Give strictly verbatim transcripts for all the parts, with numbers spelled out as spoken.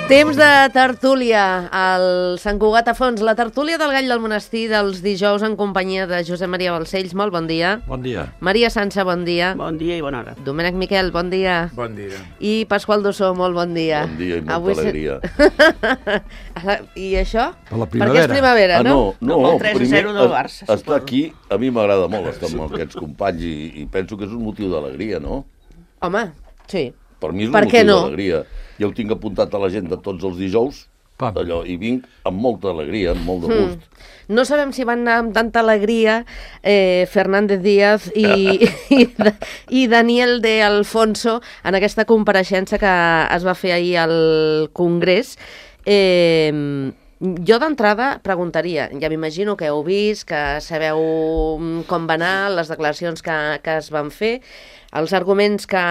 Temps de tertúlia al Sant Cugat a Fons, la tertúlia del Gall del Monestir dels dijous en companyia de Josep Maria Balcells, molt bon dia. Bon dia. Maria Sança, bon dia. Bon dia i bona hora. Domènec Miquel, bon dia. Bon dia. I Pasqual Dossó, molt bon dia. Bon dia i molta Avui alegria. Se... I això? Per la Perquè és primavera, ah, no? no? No, el tres a zero del Barça, estar suposo. aquí, a mi m'agrada molt estar amb aquests companys i, i penso que és un motiu d'alegria, no? Home, sí. Per mi és un Per què motiu no? d'alegria. Jo ho tinc apuntat a l'agenda tots els dijous, allò, i vinc amb molta alegria, amb molt de gust. Mm. No sabem si van anar amb tanta alegria eh, Fernández Díaz i, i, i Daniel de Alfonso en aquesta compareixença que es va fer ahir al Congrés. Eh, jo d'entrada preguntaria, ja m'imagino que heu vist, que sabeu com va anar, les declaracions que, que es van fer, els arguments que,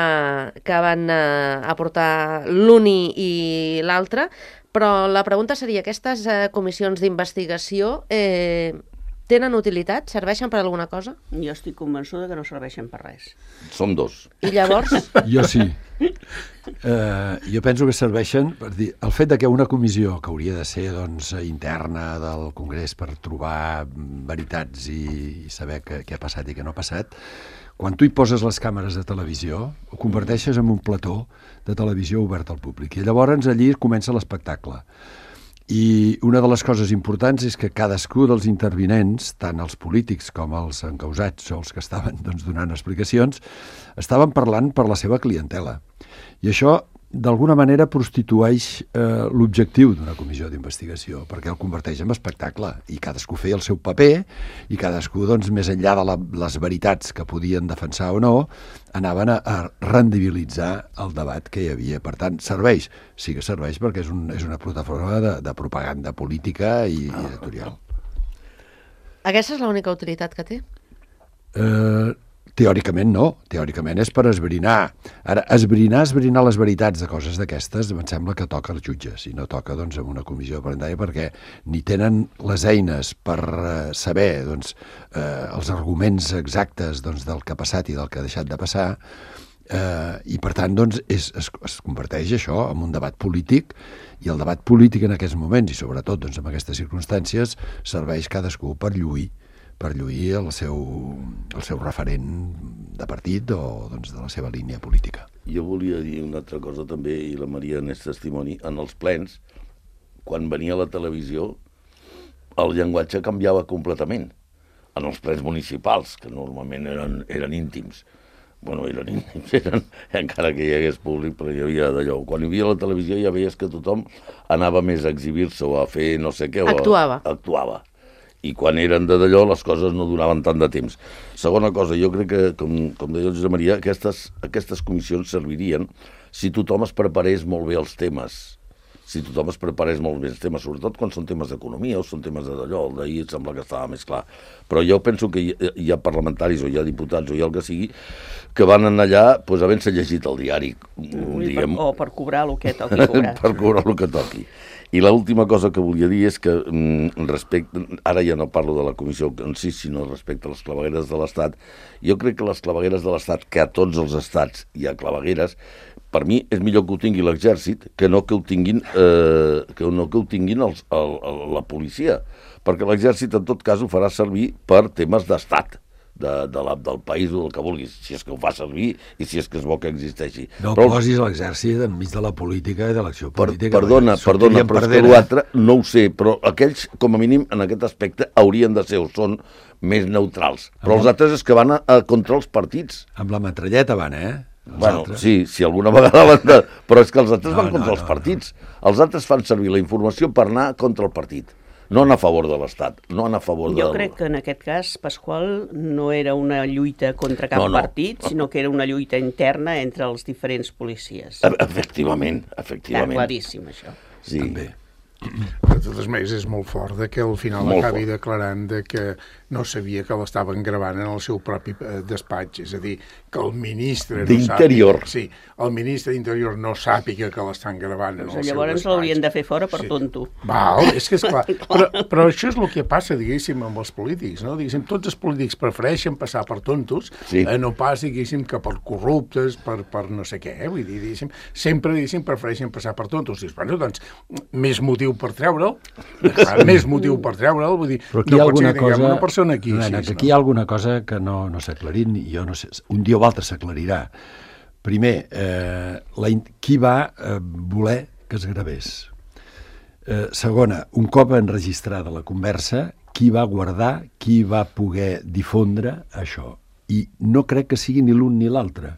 que van eh, aportar l'un i l'altre, però la pregunta seria, aquestes eh, comissions d'investigació eh, tenen utilitat? Serveixen per alguna cosa? Jo estic convençuda que no serveixen per res. Som dos. I llavors? Jo sí. Uh, jo penso que serveixen per dir, el fet de que una comissió que hauria de ser doncs, interna del Congrés per trobar veritats i, i saber què, què ha passat i què no ha passat, quan tu hi poses les càmeres de televisió, ho converteixes en un plató de televisió obert al públic. I llavors allí comença l'espectacle. I una de les coses importants és que cadascú dels intervinents, tant els polítics com els encausats o els que estaven doncs, donant explicacions, estaven parlant per la seva clientela. I això, d'alguna manera, prostitueix eh, l'objectiu d'una comissió d'investigació, perquè el converteix en espectacle, i cadascú feia el seu paper, i cadascú, doncs, més enllà de la, les veritats que podien defensar o no, anaven a, a rendibilitzar el debat que hi havia. Per tant, serveix? Sí que serveix, perquè és, un, és una plataforma de, de propaganda política i, i editorial. Aquesta és l'única utilitat que té? Eh... Teòricament no, teòricament és per esbrinar. Ara, esbrinar, esbrinar les veritats de coses d'aquestes em sembla que toca als jutges i no toca doncs, en una comissió parentària perquè ni tenen les eines per uh, saber doncs, uh, els arguments exactes doncs, del que ha passat i del que ha deixat de passar uh, i per tant doncs, és, es, es converteix això en un debat polític i el debat polític en aquests moments i sobretot doncs, en aquestes circumstàncies serveix cadascú per lluir per lluir el seu, el seu referent de partit o doncs, de la seva línia política. Jo volia dir una altra cosa també, i la Maria n'és testimoni, en els plens, quan venia a la televisió, el llenguatge canviava completament. En els plens municipals, que normalment eren, eren íntims. Bueno, eren íntims, eren, encara que hi hagués públic, però hi havia d'allò. Quan hi havia la televisió ja veies que tothom anava més a exhibir-se o a fer no sé què. Actuava. O a, actuava. I quan eren de d'allò les coses no duraven tant de temps. Segona cosa, jo crec que, com, com deia el Josep Maria, aquestes, aquestes comissions servirien si tothom es preparés molt bé els temes, si tothom es preparés molt bé els temes, sobretot quan són temes d'economia o són temes de d'allò, el d'ahir et sembla que estava més clar. Però jo penso que hi, hi ha parlamentaris o hi ha diputats o hi ha el que sigui que van anar allà pues, havent-se llegit el diari. Diguem, per, o per cobrar el que toqui cobrar. Per cobrar el que toqui. I l'última cosa que volia dir és que, respecte, ara ja no parlo de la comissió en si, sinó respecte a les clavegueres de l'Estat, jo crec que les clavegueres de l'Estat, que a tots els estats hi ha clavegueres, per mi és millor que ho tingui l'exèrcit que no que ho tinguin, eh, que no que ho tinguin els, el, el, la policia, perquè l'exèrcit en tot cas ho farà servir per temes d'estat. De, de la, del país o del que vulguis, si és que ho fa servir i si és que és bo que existeixi. No però, posis l'exèrcit enmig de la política i de l'acció per, política. perdona, perdona, però és que l'altre no ho sé, però aquells, com a mínim, en aquest aspecte, haurien de ser o són més neutrals. Però amb els altres és que van a, a contra els partits. Amb la metralleta van, eh? Els bueno, altres. sí, si alguna vegada van de... Però és que els altres no, van contra no, els no, partits. No. Els altres fan servir la informació per anar contra el partit. No anar a favor de l'Estat, no anar a favor de... Jo crec que en aquest cas, Pasqual, no era una lluita contra cap no, no. partit, sinó que era una lluita interna entre els diferents policies. Efectivament, efectivament. Està claríssim, això. Sí. També. De totes maneres, és molt fort de que al final Molt acabi fort. declarant de que no sabia que l'estaven gravant en el seu propi eh, despatx. És a dir, que el ministre... No D'Interior. sàpiga, sí, el ministre d'Interior no sàpiga que l'estan gravant en el seu despatx. Llavors l'haurien de fer fora per tonto. Val, és que és clar. Però, però això és el que passa, diguéssim, amb els polítics, no? Diguéssim, tots els polítics prefereixen passar per tontos, Sí. eh, no pas, diguéssim, que per corruptes, per, per no sé què, eh? Vull dir, diguéssim, sempre, diguéssim, prefereixen passar per tontos. Dius, bueno, doncs, més motiu per treure'l, clar, més motiu per treure'l, vull dir, Però aquí hi ha no pot ser alguna que tinguem cosa... una persona aquí. Nena, així, que aquí hi ha alguna cosa que no, no s'ha aclarit, i jo no sé, un dia o altre s'aclarirà. Primer, eh, la, in- qui va eh, voler que es gravés? Eh, segona, un cop enregistrada la conversa, qui va guardar, qui va poder difondre això? I no crec que sigui ni l'un ni l'altre.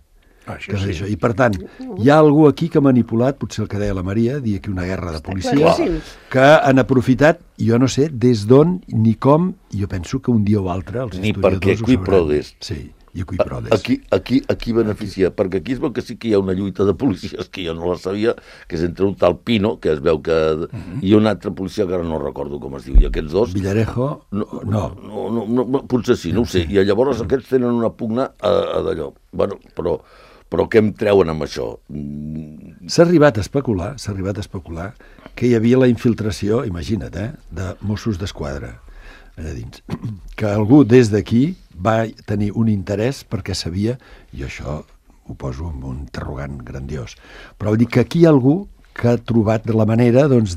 Ah, això Que és sí. això. I per tant, hi ha algú aquí que ha manipulat, potser el que deia la Maria, dir aquí una guerra de policies, claríssim. que han aprofitat, jo no sé des d'on ni com, i jo penso que un dia o altre els Ni historiadors perquè ho qui sabran. prodest. Sí, i qui prodest. Aquí, aquí, aquí beneficia, perquè aquí es veu que sí que hi ha una lluita de policies que jo no la sabia, que és entre un tal Pino, que es veu que... i un altre policia que ara no recordo com es diu, i aquests dos... Villarejo, No, no. no, no, no, no, potser sí, no ho sé. I llavors aquests tenen una pugna a, a d'allò. Bueno, però, però què em treuen amb això? Mm, S'ha arribat a especular, s'ha arribat a especular que hi havia la infiltració, imagina't, eh, de Mossos d'Esquadra allà dins, que algú des d'aquí va tenir un interès perquè sabia, i això ho poso amb un interrogant grandiós, però vol dir que aquí hi ha algú que ha trobat la manera doncs,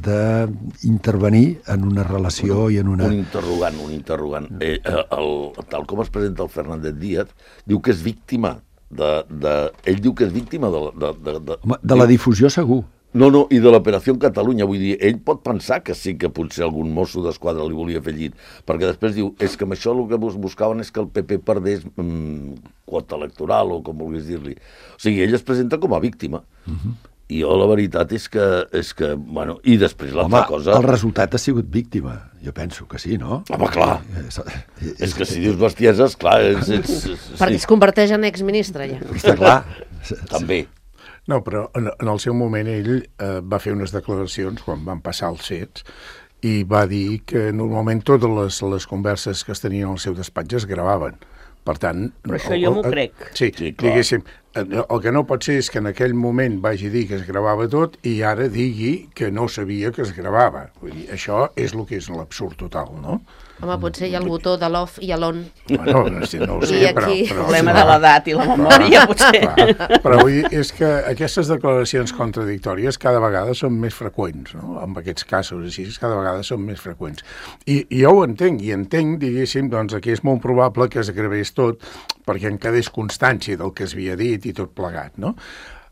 d'intervenir en una relació i en una... Un interrogant, un interrogant. Eh, el, tal com es presenta el Fernández Díaz, diu que és víctima de... de ell diu que és víctima de... De, de, de, Home, de la difusió segur. No, no, i de l'Operació Catalunya, vull dir, ell pot pensar que sí que potser algun mosso d'esquadra li volia fer llit, perquè després diu, és que amb això el que bus- buscaven és que el P P perdés mm, quota electoral, o com vulguis dir-li. O sigui, ell es presenta com a víctima. Uh-huh. I jo la veritat és que, és que bueno, i després l'altra Home, cosa... el resultat ha sigut víctima. Jo penso que sí, no? Home, clar. És, És que si dius bestieses, clar, és... és, és Perquè es converteix en exministre, ja. Està clar. També. No, però en, en el seu moment ell eh, va fer unes declaracions quan van passar els fets i va dir que normalment totes les, les converses que es tenien al seu despatx es gravaven. Per tant... Però això jo m'ho crec. Sí, Sí, clar. diguéssim, el que no pot ser és que en aquell moment vagi dir que es gravava tot i ara digui que no sabia que es gravava. Vull dir, això és el que és l'absurd total, no? Home, potser hi ha el botó de l'off i l'on. Bueno, no, sé, no ho sé, I però... aquí- però Problema de l'edat i la memòria, potser. Clar, però vull dir, és que aquestes declaracions contradictòries cada vegada són més freqüents, no? En aquests casos així, cada vegada són més freqüents. I, i jo ho entenc, i entenc, diguéssim, doncs, que és molt probable que es gravés tot perquè en quedés constància del que es havia dit i tot plegat, no?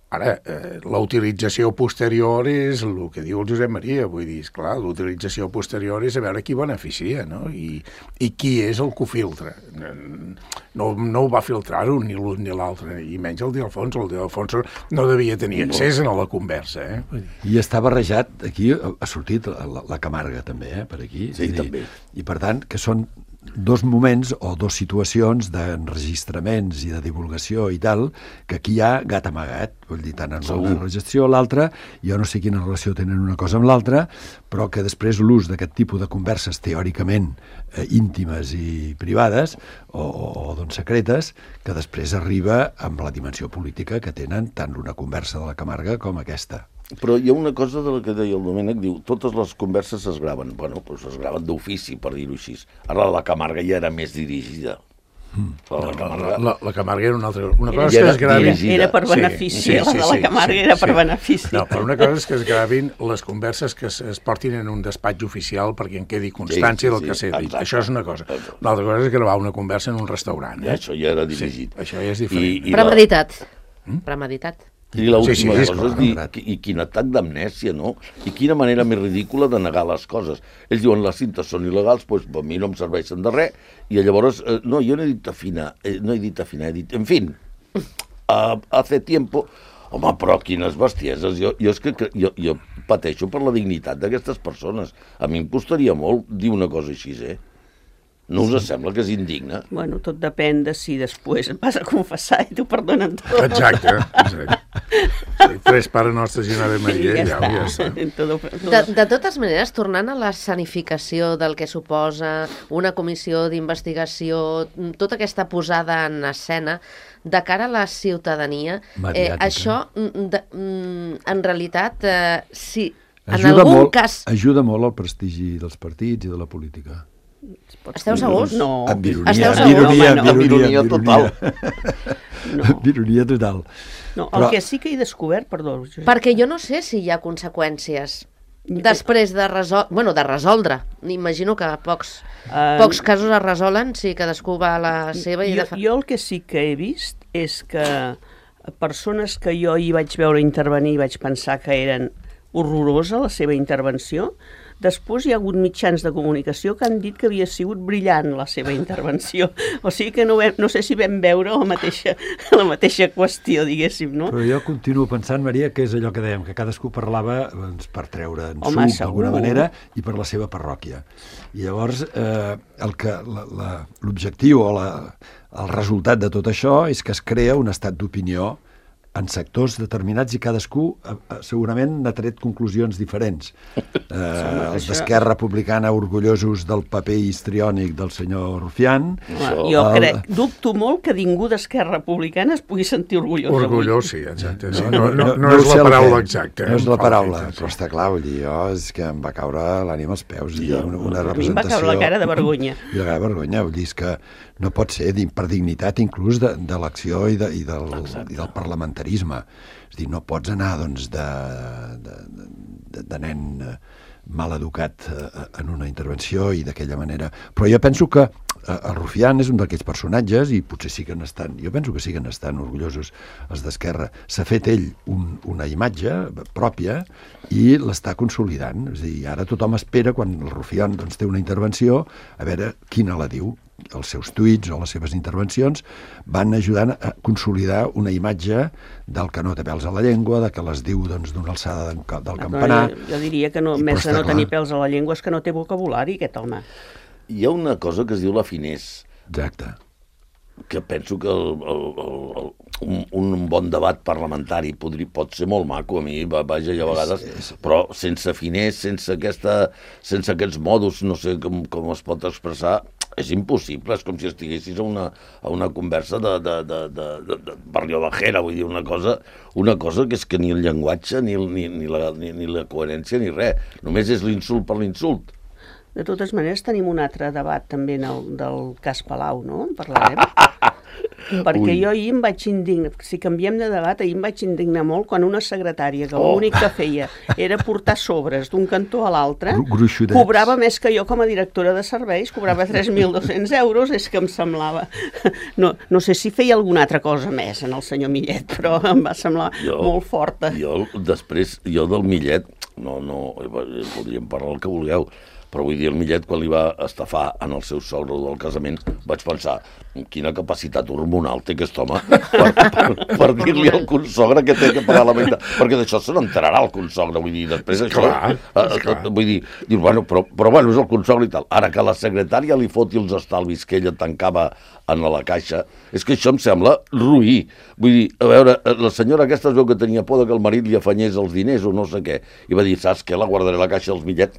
Ara, eh, la utilització posterior és el que diu el Josep Maria, vull dir, esclar, l'utilització posterior és a veure qui beneficia, no? I, i qui és el que ho filtra. No, no ho va filtrar-ho ni l'un ni l'altre, i menys el d'Alfonso. El d'Alfonso no devia tenir accés a la conversa, eh? Vull dir, I està barrejat, aquí ha sortit la, la Camarga també, eh, per aquí. Sí, Vull dir, també. I per tant, que són dos moments o dos situacions d'enregistraments i de divulgació i tal, que aquí hi ha gat amagat, vull dir, tant en una relació o l'altra, jo no sé quina relació tenen una cosa amb l'altra, però que després l'ús d'aquest tipus de converses teòricament eh, íntimes i privades o, o, o doncs secretes, que després arriba amb la dimensió política que tenen tant una conversa de la Camarga com aquesta. Però hi ha una cosa de la que deia el Domènec, diu, totes les converses es graven. Bueno, doncs es graven d'ofici, per dir-ho així. Ara la Camarga ja era més dirigida. Mm. La, la, Camarga... la, la Camarga era una altra... Una cosa Ja és que era es gravin... dirigida. Era per Sí, benefici, sí, la sí, de la sí, Camarga sí, era per sí. benefici. No, però una cosa és que es gravin les converses que es, es portin en un despatx oficial perquè en quedi constància Sí, sí, del que sí, s'ha dit. exacte. Això és una cosa. L'altra cosa és gravar una conversa en un restaurant. Ja, Eh? això ja era dirigit. Sí, això ja és diferent. I, i Premeditat. Premeditat. I l'última Sí, sí, és cosa és clar. dir, qui- i quin atac d'amnèsia, no? I quina manera més ridícula de negar les coses. Ells diuen, les cintes són il·legals, doncs per mi no em serveixen de res, i llavors, eh, no, jo no he dit afinar, eh, no he dit afinar, he dit, en fin, uh, hace tiempo, home, però quines bestieses, jo, jo és que que- jo, jo pateixo per la dignitat d'aquestes persones. A mi em costaria molt dir una cosa així, eh? No us sembla que és indigne? Bueno, tot depèn de si després et vas a confessar i t'ho perdonen tot. Exacte, exacte. Sí, tres Pare Nostres i una Ave Maria, I ja, ja ja està. està. Todo, todo. De, de totes maneres, tornant a l'escenificació del que suposa una comissió d'investigació, tota aquesta posada en escena, de cara a la ciutadania, eh, Mediàtica. això, mm, de, mm, en realitat, eh, si en Ajuda algun molt, cas... ajuda molt al prestigi dels partits i de la política. Esteu segurs? No. Amb ironia, Esteu amb segurs? ironia, Home, no. amb ironia, Amb ironia amb total. Amb ironia total. No, el Però- que sí que he descobert, perdó, Josep, Perquè jo no sé si hi ha conseqüències després de resoldre, bueno, de resoldre. Imagino que pocs, Eh, pocs casos es resolen si cadascú va a la seva i jo, de fa... jo el que sí que he vist és que persones que jo hi vaig veure intervenir i vaig pensar que eren horrorosa la seva intervenció, després hi ha hagut mitjans de comunicació que han dit que havia sigut brillant la seva intervenció. O sigui que no, vam, no sé si vam veure la mateixa, la mateixa qüestió, diguéssim, no? Però jo continuo pensant, Maria, que és allò que dèiem, que cadascú parlava doncs, per treure en Home, suc d'alguna segur. manera i per la seva parròquia. I llavors eh, el que la- la- l'objectiu o la, el resultat de tot això és que es crea un estat d'opinió en sectors determinats i cadascú eh, eh, segurament n'ha tret conclusions diferents. Eh, els això- d'Esquerra Republicana orgullosos del paper histriònic del senyor Rufián. Home, jo el- crec, dubto molt que ningú d'Esquerra Republicana es pugui sentir orgullós avui. Orgullós, sí, exacte. Sí. No, no, no, no és ho sé la el paraula què. exacta. No és em la fa paraula, l'efecte, però sí. està clar, vull dir, jo és que em va caure l'ànima als peus i una, una A mi em va representació... caure la cara de vergonya. I la cara de vergonya, vull dir, és que no pot ser di- per dignitat inclús de, de l'acció i, de, i, del, i del parlamentarisme. És a dir, no pots anar, doncs, de, de, de, de nen eh, mal educat eh, en una intervenció i d'aquella manera. Però jo penso que eh, el Rufián és un d'aquests personatges i potser sí que n'estan, jo penso que sí que n'estan orgullosos els d'Esquerra. S'ha fet ell un, una imatge pròpia i l'està consolidant. És a dir, ara tothom espera, quan el Rufián doncs, té una intervenció, a veure quina la diu. Els seus tuits o les seves intervencions van ajudant a consolidar una imatge del que no té pèls a la llengua, de que les diu doncs, d'una alçada del, del campanar. Jo, jo diria que no, I, més però de no està tenir clar. pèls a la llengua és que no té vocabulari, aquest home. Hi ha una cosa que es diu la finès, Exacte. que penso que el, el, el, el, un, un bon debat parlamentari podri, pot ser molt maco, a mi, va- vaja, i a vegades, és- però sense finès, sense, aquesta, sense aquests modus, no sé com, com es pot expressar, és impossible, és com si estiguessis a una, a una conversa de, de, de, de, de, de Barrio Bajera, vull dir, una cosa, una cosa que és que ni el llenguatge, ni, el, ni, ni, la, ni, ni la coherència, ni res, només és l'insult per l'insult. De totes maneres, tenim un altre debat també en el, del cas Palau, no? En parlarem. Perquè Ui. jo ahir em vaig indignar, si canviem de debat, ahir em vaig indignar molt quan una secretària que Oh. l'únic que feia era portar sobres d'un cantó a l'altre, Gru- gruixudets. cobrava més que jo com a directora de serveis, cobrava tres mil dos-cents euros, és que em semblava... No, no sé si feia alguna altra cosa més en el senyor Millet, però em va semblar molt forta. Jo, després, jo del Millet, no, no, podríem parlar el que vulgueu, però vull dir, el Millet, quan li va estafar en el seu sogre del casament, vaig pensar, quina capacitat hormonal té aquest home per, per, per dir-li al consogre que té que pagar la meitat, perquè d'això se n'enterarà el consogre, vull dir, després això... Clar, eh, és clar. Vull dir, diu, bueno, però, però bueno, és el consogre i tal. Ara que la secretària li foti els estalvis que ella tancava en la caixa, és que això em sembla ruï. Vull dir, a veure, la senyora aquesta es veu que tenia por que el marit li afanyés els diners o no sé què, i va dir, saps què, la guardaré a la caixa dels bitllets,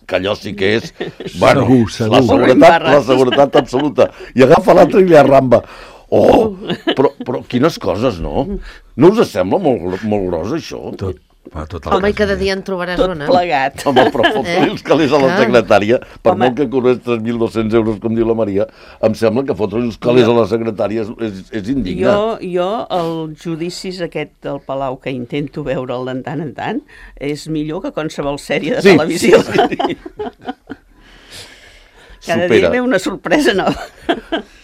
que allò sí que és, bueno, Segur, segur. la seguretat, la seguretat absoluta. I agafa l'altre i li arramba. Oh, però, però quines coses, no? No us sembla molt, molt gros, això? Tot, va, tot Home, i cada casa. dia en trobaràs Tot una. plegat. Home, però fotre-li els calés a la Clar. secretària, per Home. molt que cobrés tres mil dos-cents euros, com diu la Maria, em sembla que fotre-li els calés a la secretària és, és, és indigne. Jo, jo, els judicis aquest del Palau que intento veure'l de tant en tant, és millor que qualsevol sèrie de Sí, televisió. sí. Cada Supera. dia ve una sorpresa nova.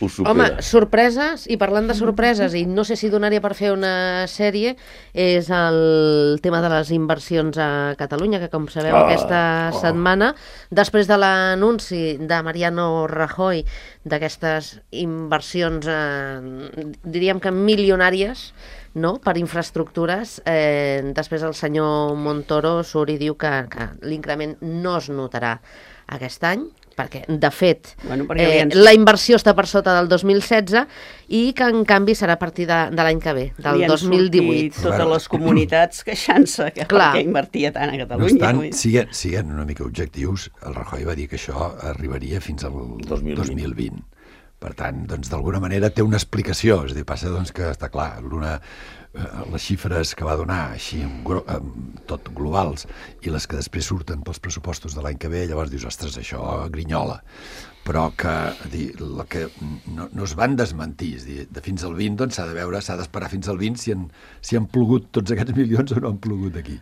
Ho supera. Home, sorpreses, i parlant de sorpreses, i no sé si donaria per fer una sèrie, és el tema de les inversions a Catalunya, que com sabeu Ah, aquesta oh. setmana, després de l'anunci de Mariano Rajoy d'aquestes inversions, eh, diríem que milionàries, no?, per infraestructures, eh, després el senyor Montoro surt i diu que, que l'increment no es notarà aquest any, perquè, de fet, Bueno, perquè eh, ens- la inversió està per sota del dos mil setze i que, en canvi, serà a partir de, de l'any que ve, del Li han dos mil divuit. sortit totes les comunitats queixant-se que Clar. perquè invertia tant a No Catalunya. obstant, vull dir. siguent, siguent una mica objectius, el Rajoy va dir que això arribaria fins al dos mil vint. dos mil vint. Per tant, doncs, d'alguna manera té una explicació. És a dir, passa doncs, que està clar, l'una, eh, les xifres que va donar així en, gro- en tot globals i les que després surten pels pressupostos de l'any que ve, llavors dius, ostres, això grinyola. Però que, dir, la que no, no es van desmentir, és dir, de fins al vint doncs s'ha de veure, s'ha d'esperar fins al vint si han, si han plogut tots aquests milions o no han plogut aquí.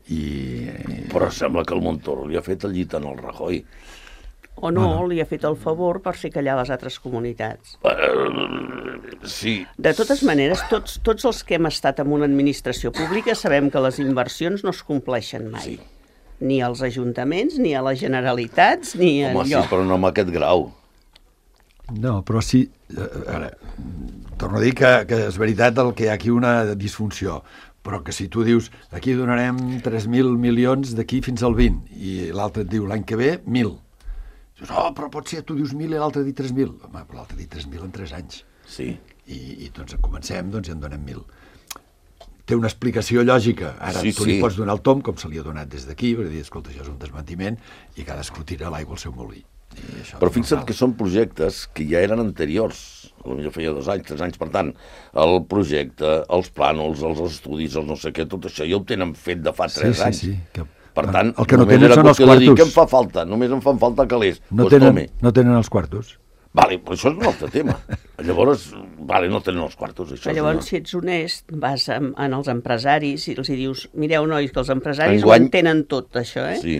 I, Però sembla que el Montoro li ha fet el llit en el Rajoy. O no, bueno. li ha fet el favor per fer callar les altres comunitats. Uh, sí. De totes maneres, tots, tots els que hem estat en una administració pública sabem que les inversions no es compleixen mai. Sí. Ni als ajuntaments, ni a les Generalitats, ni Home, sí, enlloc. però no amb aquest grau. No, però sí, eh, ara, torno a dir que, que és veritat el que hi ha aquí una disfunció, però que si tu dius aquí donarem tres mil milions d'aquí fins al vint i l'altre et diu l'any que ve mil, dius, oh, però pot ser, tu dius mil i l'altre dit tres mil, home, però l'altre dit tres mil en tres anys. Sí. I, i doncs comencem, doncs i en donem mil. Té una explicació lògica. Ara Sí, tu li sí. pots donar el tom, com se li ha donat des d'aquí, per dir, escolta, això és un desmentiment, i cadascú tira l'aigua al seu molí. I això Però és fixa't normal. que són projectes que ja eren anteriors, potser feia dos anys, tres anys, per tant, el projecte, els plànols, els estudis, els no sé què, tot això ja ho tenen fet de fa tres sí, anys. Sí, sí, que... Per tant, el que no només tenen era són els qüestió de dir quartos. que em fa falta, només em fan falta calés. No, Pues tenen, tome. no tenen els quartos. Vale, però això és un altre tema. Llavors, vale, no tenen els quartos. Això Però és llavors, una... si ets honest, vas en, en els empresaris i els hi dius, mireu, nois, que els empresaris Enguany- ho entenen tot, això, eh? Sí.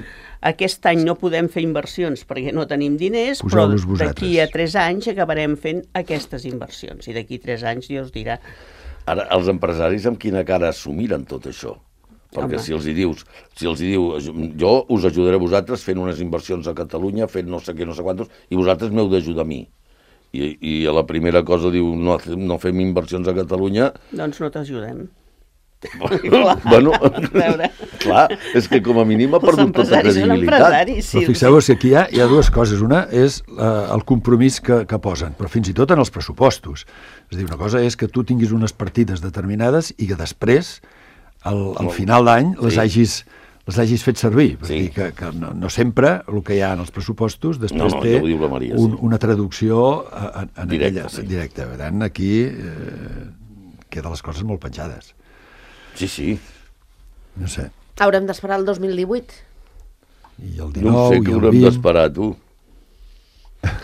Aquest any no podem fer inversions perquè no tenim diners, Poseu-los però vosaltres. d'aquí a tres anys acabarem fent aquestes inversions. I d'aquí tres anys Dios dirà... Ara, els empresaris amb quina cara assumiren tot això? Perquè Home. si els hi dius, si els hi diu, jo us ajudaré a vosaltres fent unes inversions a Catalunya, fent no sé què, no sé quantos, i vosaltres m'heu d'ajudar a mi. I, I a la primera cosa diu, no, no fem inversions a Catalunya, Doncs no t'ajudem. bueno, veure. clar, és que com a mínim ha Els perdut tota empresaris són credibilitat. empresaris, sí. Però fixeu-vos que aquí hi ha, hi ha dues coses. Una és eh, el compromís que, que posen, però fins i tot en els pressupostos. És a dir, una cosa és que tu tinguis unes partides determinades i que després, al, al final d'any, les, Sí. hagis, les hagis fet servir. És Sí. dir, que, que no, no sempre el que hi ha en els pressupostos després No, no, té ja ho diu la Maria, un, sí. una traducció en, en Directa, aquella, sí. directa. Per tant, aquí eh, queden les coses molt penjades. Sí, sí. No sé. Haurem d'esperar el dos mil divuit. I el No dinou, sé i què el haurem vint... d'esperar, tu.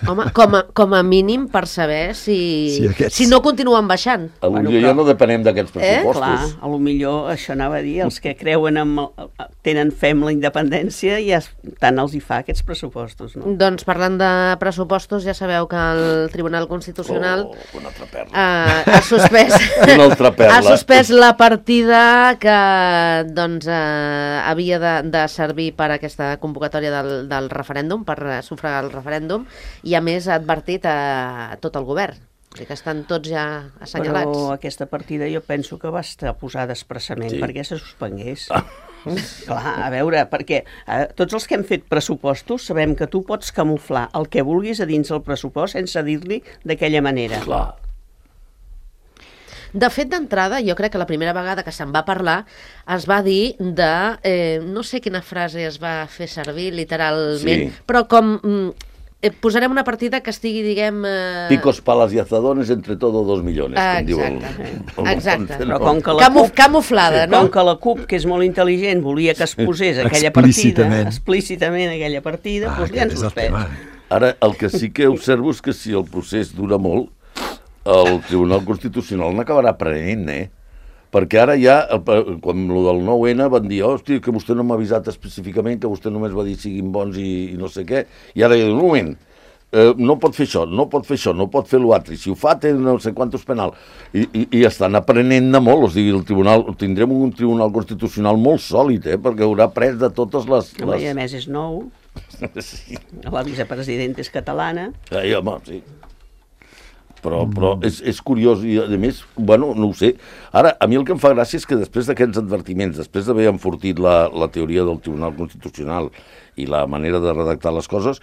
Home, com a, com a mínim per saber si, Si aquests- si no continuen baixant. Potser Bueno, bueno, però- ja no depenem d'aquests Eh? pressupostos. Clar, a lo millor això anava a dir, els que creuen en... El, tenen fe en la independència i ja es- tant els hi fa aquests pressupostos, no? Doncs parlant de pressupostos, ja sabeu que el Tribunal Constitucional Oh, una altra perla. eh, ha suspès Una altra perla. ha suspès la partida que doncs, eh, havia de, de servir per a aquesta convocatòria del, del referèndum, per eh, sufragar el referèndum, i a més ha advertit a tot el govern. O sigui que estan tots ja assenyalats. Però aquesta partida jo penso que va estar posada expressament Sí. perquè se suspengués. Ah. Clar, a veure, perquè eh, tots els que hem fet pressupostos sabem que tu pots camuflar el que vulguis a dins del pressupost sense dir-li d'aquella manera. Clar. De fet, d'entrada, jo crec que la primera vegada que se'n va parlar es va dir de... Eh, no sé quina frase es va fer servir literalment, Sí. però com... Mm, eh, posarem una partida que estigui, diguem... Eh... Picos, palas y azadones, entre todo dos millones. Ah, com diu el- exacte. el- Exacte. el- Però com que la Camuf CUP, camuflada, no? com que la CUP, que és molt intel·ligent, volia que es posés aquella partida, Explícitament. explícitament aquella partida, Ah, doncs li han aquest és el suspès. tema. Ara, el que sí que observo és que si el procés dura molt, el Tribunal Constitucional n'acabarà prenent, eh? Perquè ara ja, el- quan lo del nou ene van dir, hòstia, que vostè no m'ha avisat específicament, que vostè només va dir siguin bons i, i no sé què, i ara ja diu, un moment, eh, no pot fer això, no pot fer això, no pot fer l'altre, i si ho fa té no sé quantos penal, i, i, i estan aprenent de molt, o sigui, el tribunal, tindrem un Tribunal Constitucional molt sòlid, eh? Perquè haurà pres de totes les... Home, I a les... més és nou, Sí. la vicepresidenta és catalana. Ai, home, sí. Però, però és, és curiós i, a més, bueno, no ho sé. Ara, a mi el que em fa gràcia és que després d'aquests advertiments, després d'haver enfortit la, la teoria del Tribunal Constitucional i la manera de redactar les coses,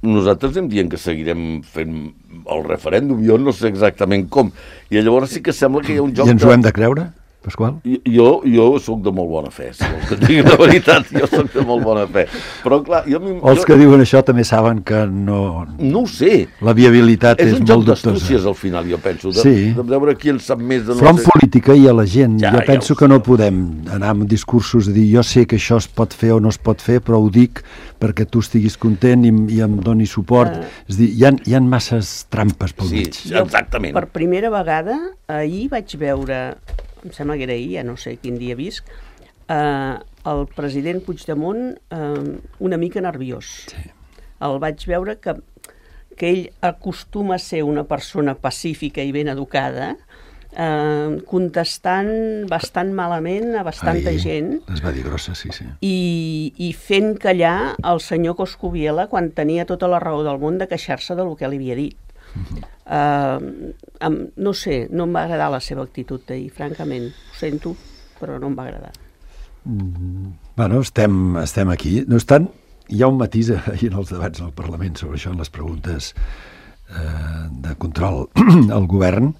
nosaltres em dient que seguirem fent el referèndum, jo no sé exactament com. I llavors sí que sembla que hi ha un joc... I ens ho hem de creure, Pasqual? Jo, jo sóc de molt bona fe, si vols que et digui la veritat, jo sóc de molt bona fe. Però clar, jo... O els jo... que diuen això també saben que no... No ho sé. La viabilitat és, és molt dubtosa. És un joc d'astúcies, al final, jo penso, de, sí. de veure qui en sap més de no Però en sé... política i a la gent, ja, jo penso ja que no podem anar amb discursos de dir jo sé que això es pot fer o no es pot fer, però ho dic perquè tu estiguis content i, i em doni suport. Uh, és dir, hi ha, hi ha masses trampes pel sí, mig. Sí, exactament. Jo, per primera vegada, ahir vaig veure... em sembla que era ahir, ja no sé quin dia visc, eh, el president Puigdemont eh, una mica nerviós. Sí. El vaig veure que, que ell acostuma a ser una persona pacífica i ben educada, eh, contestant bastant malament a bastanta Ai, gent. Es va dir grossa, sí, sí. I, i fent callar el senyor Coscubiela quan tenia tota la raó del món de queixar-se del que li havia dit. Uh-huh. Uh, um, no sé, no em va agradar la seva actitud d'ahir, francament. Ho sento, però no em va agradar. Mm, bueno, estem, estem aquí. No obstant, hi ha un matís ahir en els debats al Parlament sobre això, en les preguntes eh, de control al govern,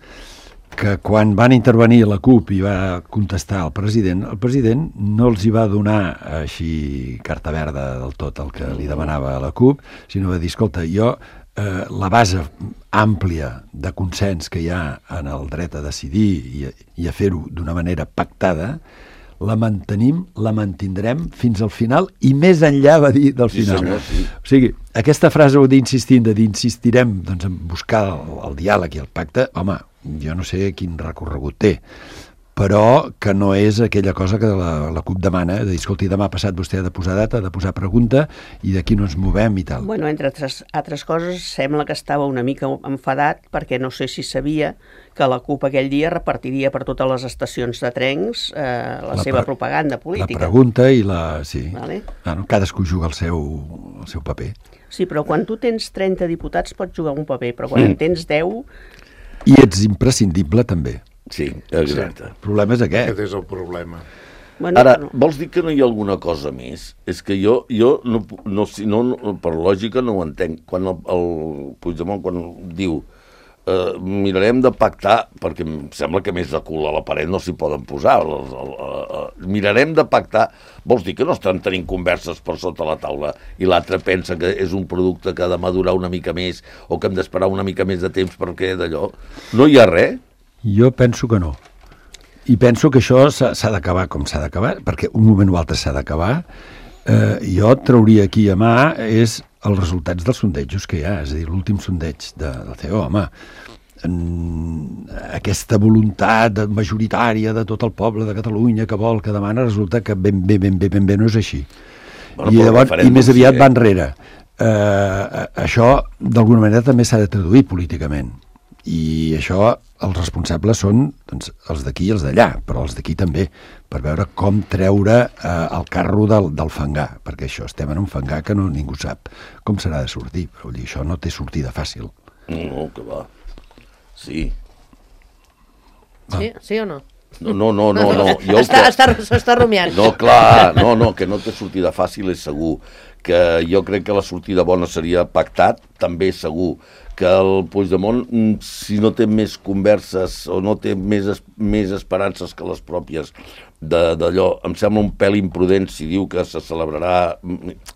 que quan van intervenir la CUP i va contestar el president, el president no els hi va donar així carta verda del tot el que li demanava a la CUP, sinó va dir, escolta, jo Eh, la base àmplia de consens que hi ha en el dret a decidir i a, i a fer-ho d'una manera pactada, la mantenim, la mantindrem fins al final i més enllà, va dir, del final. Sí, senyor, sí. O sigui, aquesta frase d'insistint, de d'insistirem doncs, en buscar el, el diàleg i el pacte, home, jo no sé quin recorregut té, però que no és aquella cosa que la, la CUP demana, de dir, escolti, demà passat vostè ha de posar data, ha de posar pregunta, i d'aquí no ens movem i tal. Bueno, entre altres, altres coses, sembla que estava una mica enfadat perquè no sé si sabia que la CUP aquell dia repartiria per totes les estacions de trens eh, la, la seva propaganda política. La pregunta i la... sí. Vale. Bueno, cadascú juga el seu, el seu paper. Sí, però quan tu tens trenta diputats pots jugar un paper, però quan mm. en tens deu... I ets imprescindible, també. Sí, exacte. El problema és aquest. Aquest és el problema. Bueno, Ara, no. vols dir que no hi ha alguna cosa més? És que jo, jo no, no, no, no, per lògica no ho entenc. Quan el, el Puigdemont quan diu eh, mirarem de pactar, perquè em sembla que més de cul a la paret no s'hi poden posar, el, el, el, el, mirarem de pactar, vols dir que no estan tenint converses per sota la taula i l'altre pensa que és un producte que ha de madurar una mica més o que hem d'esperar una mica més de temps perquè d'allò? No hi ha res? Jo penso que no. I penso que això s'ha d'acabar com s'ha d'acabar, perquè un moment o altre s'ha d'acabar. Eh, jo trauria aquí a mà és els resultats dels sondejos que hi ha, és a dir, l'últim sondeig de, del C E O, home, en aquesta voluntat majoritària de tot el poble de Catalunya que vol, que demana, resulta que ben bé, ben bé, ben bé no és així. Bueno, I, llavors, i més aviat sí, eh? va enrere. Eh, això, d'alguna manera, també s'ha de traduir políticament. I això, els responsables són doncs, els d'aquí i els d'allà, però els d'aquí també, per veure com treure eh, el carro del, del fangar, perquè això, estem en un fangar que no, ningú sap com serà de sortir, però dir, això no té sortida fàcil. No, que va. Sí. Sí, sí o no? No, no, no, no. no. Jo està, que... està, està rumiant. No, clar, no, no, que no té sortida fàcil és segur. Que jo crec que la sortida bona seria pactat, també és segur. Que el Puigdemont, si no té més converses o no té més, més esperances que les pròpies d'allò, em sembla un pèl imprudent si diu que se celebrarà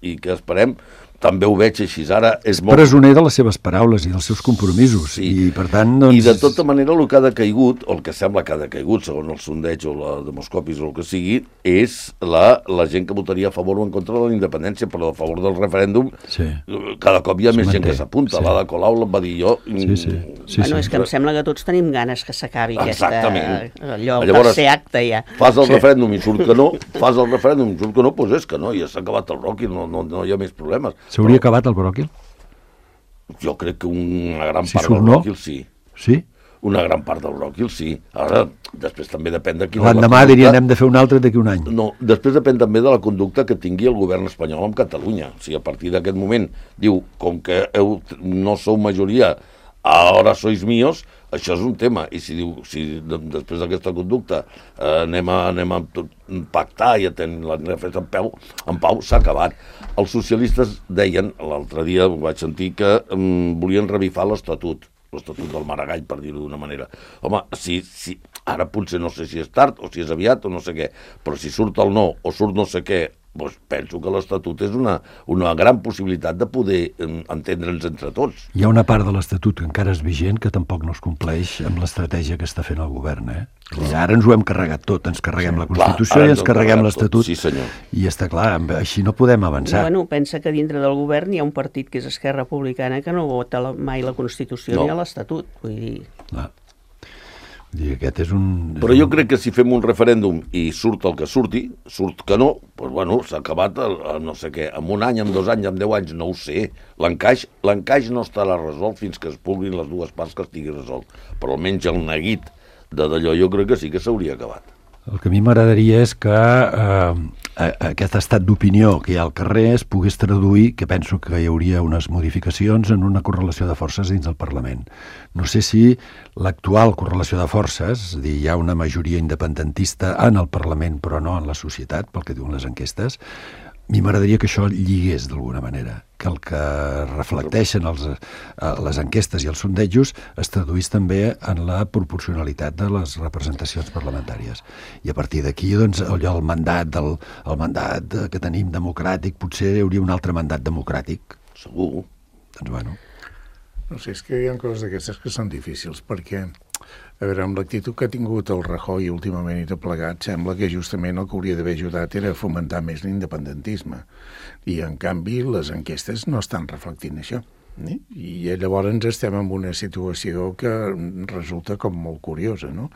i que esperem, també ho veig així. Ara és molt... presoner de les seves paraules i dels seus compromisos. Sí. I, per tant, doncs... I de tota manera el que ha decaigut, o el que sembla que ha decaigut, segons el sondeig o la demoscopis o el que sigui, és la, la gent que votaria a favor o en contra de la independència, però a favor del referèndum sí. cada cop hi ha es més manté. gent que s'apunta. Sí. L'Ada Colau la va dir jo. Sí, sí. sí, bueno, sí. és que em sembla que tots tenim ganes que s'acabi aquesta... allò, el Llavors, tercer acte ja. Fas el Sí. referèndum i surt que no, fas el referèndum i surt que no, doncs és que no, ja s'ha acabat el Rocky, no, no, no hi ha més problemes. S'hauria però... acabat el bròquil? Jo crec que una gran Si part surt del no? bròquil sí. Sí? Una gran part del bròquil sí. Ara, després també depèn de quina... L'endemà dirien hem de fer un altre d'aquí un any. No, després depèn també de la conducta que tingui el govern espanyol amb Catalunya. O sigui, a partir d'aquest moment diu, com que heu, no sou majoria ara sois míos, això és un tema. I si diu, si després d'aquesta conducta eh, anem, a, anem a pactar i a tenir la festa en, peu, en pau, s'ha acabat. Els socialistes deien, l'altre dia ho vaig sentir, que um, volien revifar l'Estatut, l'Estatut del Maragall, per dir-ho d'una manera. Home, si, si, ara potser no sé si és tard o si és aviat o no sé què, però si surt el no o surt no sé què, doncs penso que l'Estatut és una, una gran possibilitat de poder entendre'ns entre tots. Hi ha una part de l'Estatut que encara és vigent que tampoc no es compleix amb l'estratègia que està fent el govern. Eh? I ara ens ho hem carregat tot, ens carreguem sí, la Constitució clar, i ens carreguem l'Estatut. Sí, senyor. I està clar, així no podem avançar. Bueno, pensa que dintre del govern hi ha un partit que és Esquerra Republicana que no vota la, mai la Constitució no. ni l'Estatut. Vull dir... Clar. I aquest és un... És Però jo un... crec que si fem un referèndum i surt el que surti, surt que no, doncs bueno, s'ha acabat el, el no sé què, en un any, en dos anys, en deu anys, no ho sé. L'encaix l'encaix no estarà resolt fins que es puguin les dues parts que estigui resolt. Però almenys el neguit de d'allò jo crec que sí que s'hauria acabat. El que a mi m'agradaria és que eh, aquest estat d'opinió que hi ha al carrer es pogués traduir, que penso que hi hauria unes modificacions en una correlació de forces dins del Parlament. No sé si l'actual correlació de forces, és a dir, hi ha una majoria independentista en el Parlament però no en la societat, pel que diuen les enquestes, a mi m'agradaria que això lligués d'alguna manera, que el que reflecteixen els, les enquestes i els sondejos es traduís també en la proporcionalitat de les representacions parlamentàries. I a partir d'aquí, doncs, allò, el mandat, del, el mandat que tenim democràtic, potser hi hauria un altre mandat democràtic. Segur. Doncs, bueno. No sé, és que hi ha coses d'aquestes que són difícils, perquè, a veure, amb l'actitud que ha tingut el Rajoy últimament i tot plegat, sembla que justament el que hauria d'haver ajudat era a fomentar més l'independentisme. I, en canvi, les enquestes no estan reflectint això. Eh? I llavors estem en una situació que resulta com molt curiosa, no?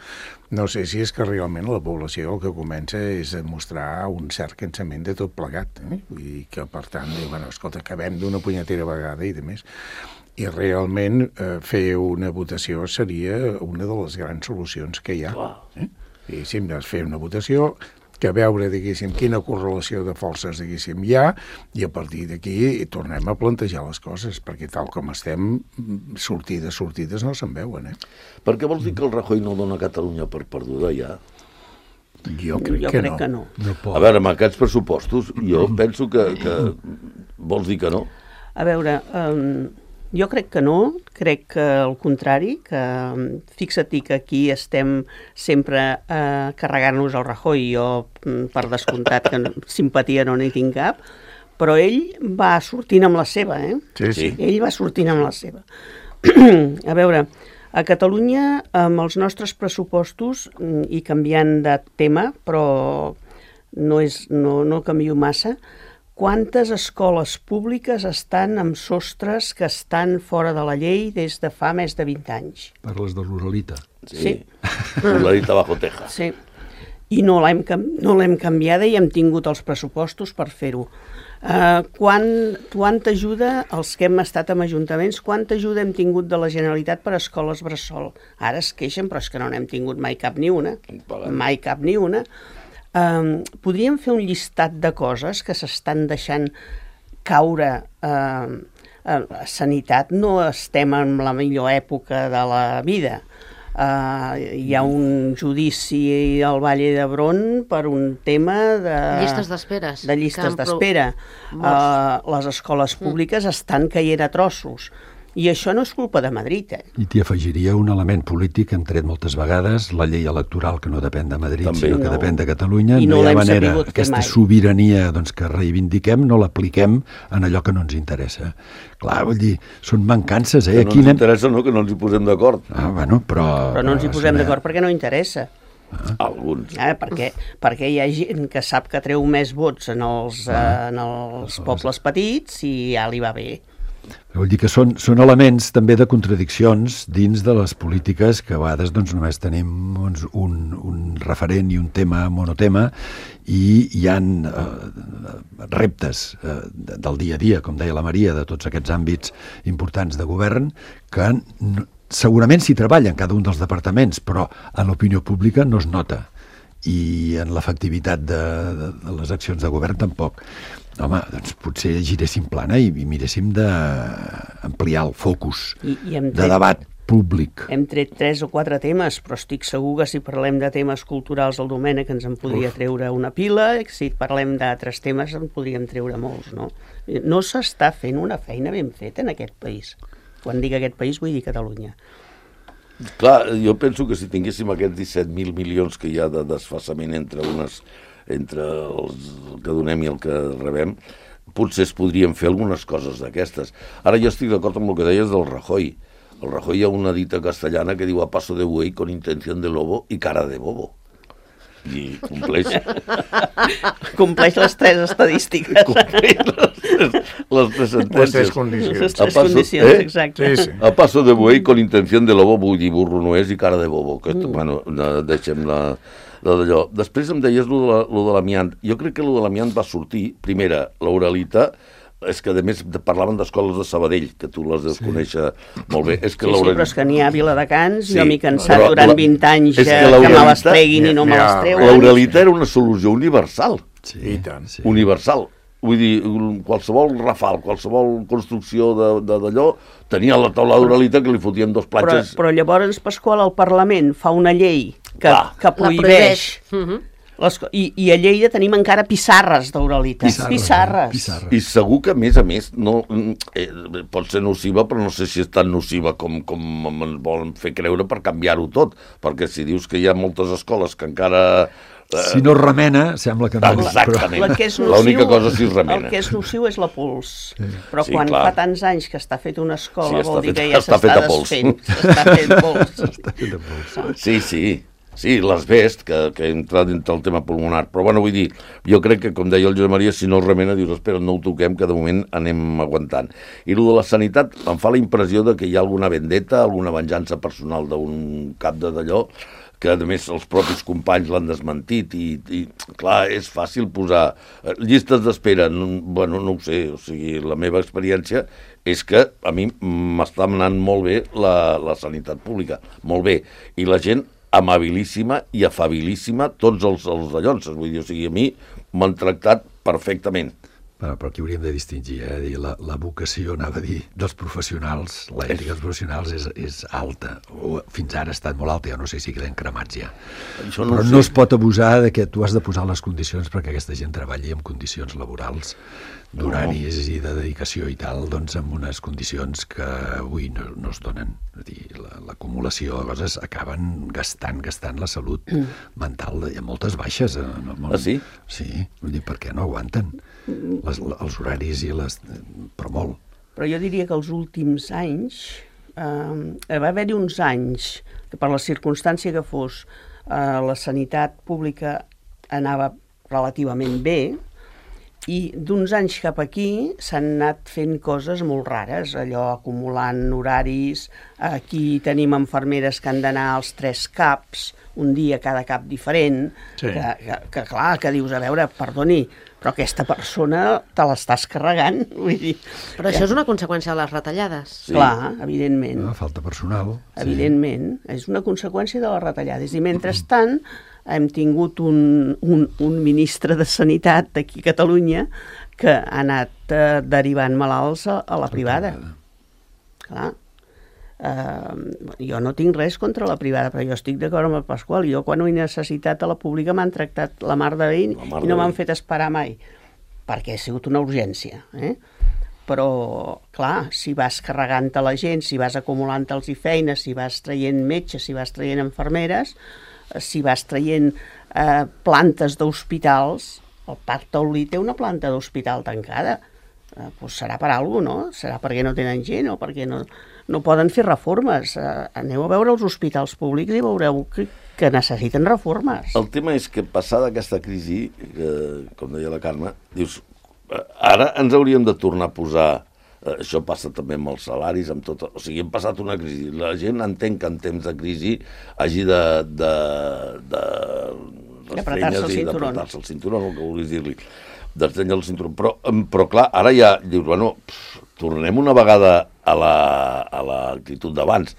No sé si és que realment la població el que comença és a mostrar un cert cansament de tot plegat. Eh? Vull dir que, per tant, diu, bueno, escolta, acabem d'una punyetera vegada i de més. I realment eh, fer una votació seria una de les grans solucions que hi ha. Eh? I si hem de fer una votació, que veure, diguéssim, quina correlació de forces, diguéssim, hi ha, i a partir d'aquí tornem a plantejar les coses, perquè tal com estem, sortides, sortides no se'n veuen, eh? Per què vols dir que el Rajoy no dona Catalunya per perduda ja? Jo crec, jo que, crec no. que no. No pot. A veure, amb aquests pressupostos, jo penso que, que vols dir que no? A veure, um, jo crec que no, crec que al contrari, que fixa-t'hi que aquí estem sempre eh, carregant-nos el Rajoy, jo per descomptat que no, simpatia no n'hi tinc cap, però ell va sortint amb la seva, eh? Sí, sí. Ell va sortint amb la seva. A veure, a Catalunya, amb els nostres pressupostos, i canviant de tema, però no, és, no, no canvio massa, quantes escoles públiques estan amb sostres que estan fora de la llei des de fa més de vint anys? Parles de l'Uralita. Sí. Sí. L'Uralita bajo teja. Sí. I no l'hem no l'hem canviada i hem tingut els pressupostos per fer-ho. Uh, quan, quanta ajuda, els que hem estat en ajuntaments, quanta ajuda hem tingut de la Generalitat per a escoles bressol? Ara es queixen, però és que no n'hem tingut mai cap ni una. Mai cap ni una. Um, podríem fer un llistat de coses que s'estan deixant caure uh, a la sanitat. No estem en la millor època de la vida. Uh, hi ha un judici al Valle d'Hebron per un tema de llistes d'espera. De llistes d'espera. Uh, les escoles públiques mm. estan caient a trossos. I això no és culpa de Madrid, eh? I t'hi afegiria un element polític que hem tret moltes vegades, la llei electoral que no depèn de Madrid, També. sinó que No. depèn de Catalunya. I no no hi ha l'hem manera, sabut fer aquesta mai. sobirania doncs, que reivindiquem, no l'apliquem en allò que no ens interessa. Clar, vull dir, són mancances, eh? Que no Aquí ens anem... interessa, no?, que no ens hi posem d'acord. Ah, bueno, però... Però no ens hi posem saber- d'acord perquè no interessa. Alguns. Eh? Perquè, perquè hi ha gent que sap que treu més vots en els, eh, en els pobles petits i ja li va bé. Vull dir que són, són elements també de contradiccions dins de les polítiques que a vegades doncs, només tenim doncs, un, un referent i un tema monotema i hi ha eh, reptes eh, del dia a dia, com deia la Maria, de tots aquests àmbits importants de govern que n- segurament s'hi treballa en cada un dels departaments, però en l'opinió pública no es nota i en l'efectivitat de, de, de les accions de govern tampoc. Home, doncs potser giréssim plana i, i miréssim de ampliar el focus I, i hem de tret, debat públic. Hem tret tres o quatre temes, però estic segur que si parlem de temes culturals el Domènec ens en podria Uf. treure una pila, si parlem d'altres temes en podríem treure molts, no? No s'està fent una feina ben feta en aquest país. Quan dic aquest país vull dir Catalunya. Clar, jo penso que si tinguéssim aquests disset mil milions que hi ha de desfassament entre unes entre els que donem i el que rebem, potser es podrien fer algunes coses d'aquestes. Ara jo estic d'acord amb el que deies del Rajoy. El Rajoy hi ha una dita castellana que diu a paso de buey con intención de lobo i cara de bobo. I compleix. Compleix les tres estadístiques. Compleix les tres, les tres sentències. Les tres condicions. Les tres condicions, eh? Exacte. Sí, sí. A paso de buey con intención de lobo, vull dir burro no és i cara de bobo. Que, mm. Bueno, deixem la, la d'allò. Després em deies lo de, lo de l'amiant. Jo crec que lo de l'amiant va sortir, primera, l'Aurelita, és que a més parlaven d'escoles de Sabadell, que tu les deus sí. conèixer molt bé. És que sí, sí, però és que n'hi ha a Viladecans, sí, jo m'he cansat però, durant la, vint anys que, que me les treguin i no me les treuen. L'Aurelita era una solució universal. Sí, I tant. Sí. Universal. Vull dir, qualsevol rafal, qualsevol construcció d'allò, tenia la taula d'Aurelita que li fotien dos platges. Però, però llavors, Pasqual, el Parlament fa una llei que, ah. que prohibeix... Uh-huh. Les, i, I a Lleida tenim encara pissarres d'Aurelita. Pissarres. Pissarres. Pissarres. I segur que, a més a més, no, eh, pot ser nociva, però no sé si és tan nociva com, com ens volen fer creure per canviar-ho tot. Perquè si dius que hi ha moltes escoles que encara... Eh... Si no remena, sembla que no. Exactament. La, la l'única cosa si es remena. El que és nociu és la pols. Sí. Però sí, quan clar. fa tants anys que està feta una escola, sí, vol dir fet, que ja s'està desfent. S'està fent pols. S'està fent pols. Sí, sí. Sí, l'asbest, que, que entra dintre el tema pulmonar. Però, bueno, vull dir, jo crec que, com deia el Josep Maria, si no es remena, dius, espera, no ho toquem, que de moment anem aguantant. I el de la sanitat em fa la impressió de que hi ha alguna vendetta, alguna venjança personal d'un cap de d'allò, que, a més, els propis companys l'han desmentit i, i, clar, és fàcil posar llistes d'espera, no, bueno, no ho sé, o sigui, la meva experiència és que a mi m'està anant molt bé la, la sanitat pública, molt bé, i la gent amabilíssima i afabilíssima, tots els, els dallons, vull dir, o sigui, a mi m'han tractat perfectament. Bueno, però aquí hauríem de distingir, eh? Dir, la, la vocació, anava a dir, dels professionals, l'ètica dels professionals és, és alta, o fins ara ha estat molt alta, jo no sé si queden cremats ja. Això no però sé. No es pot abusar de que tu has de posar les condicions perquè aquesta gent treballi en condicions laborals, d'horaris no. i de dedicació i tal, doncs amb unes condicions que avui no, no es donen. És a dir, l'acumulació de coses acaben gastant, gastant la salut mm. mental. Hi ha moltes baixes en el món. Ah, sí? Sí, vull dir, perquè no aguanten les, els horaris i les... però molt. Però jo diria que els últims anys, eh, va haver-hi uns anys que per la circumstància que fos eh, la sanitat pública anava relativament bé, i d'uns anys cap aquí s'han anat fent coses molt rares, allò acumulant horaris, aquí tenim infermeres que han d'anar als tres caps, un dia cada cap diferent, sí. que, que, que clar, que dius, a veure, perdoni, però aquesta persona te l'estàs carregant, vull dir... Però això és una conseqüència de les retallades. Sí. Clar, evidentment. No, falta personal. Evidentment, sí. És una conseqüència de les retallades, i mentrestant hem tingut un, un, un ministre de Sanitat d'aquí a Catalunya que ha anat eh, derivant malalts a, a la privada. Clar. Eh, jo no tinc res contra la privada, però jo estic d'acord amb el Pasqual. Jo quan ho he necessitat a la pública m'han tractat la mar de bé i no m'han fet esperar mai, perquè ha sigut una urgència. Eh? Però, clar, si vas carregant a la gent, si vas acumulant-los i feines, si vas traient metges, si vas traient infermeres, si vas traient eh, plantes d'hospitals, el Parc Taulí té una planta d'hospital tancada, eh, doncs serà per alguna cosa, no? Serà perquè no tenen gent o perquè no, no poden fer reformes. Eh, aneu a veure els hospitals públics i veureu que, que necessiten reformes. El tema és que passada aquesta crisi, eh, com deia la Carme, dius, ara ens hauríem de tornar a posar... Això passa també amb els salaris, amb tot... O sigui, hem passat una crisi. La gent entén que en temps de crisi hagi de... de, de d'apretar-se el cinturó. D'apretar-se el cinturó, el que vulguis dir-li. D'estrenyar el cinturó. Però, però clar, ara ja dius, bueno, pff, tornem una vegada a la, a l'actitud d'abans.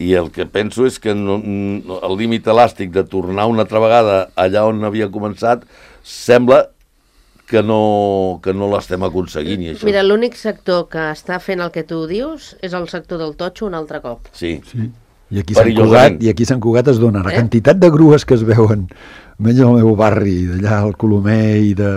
I el que penso és que no, no, el límit elàstic de tornar una altra vegada allà on havia començat sembla que no, que no l'estem aconseguint. I això... Mira, l'únic sector que està fent el que tu dius és el sector del totxo un altre cop. Sí. Sí. I aquí Sant Cugat, i aquí Sant Cugat es dona la eh? quantitat de grues que es veuen, menys al meu barri, d'allà al Colomer i de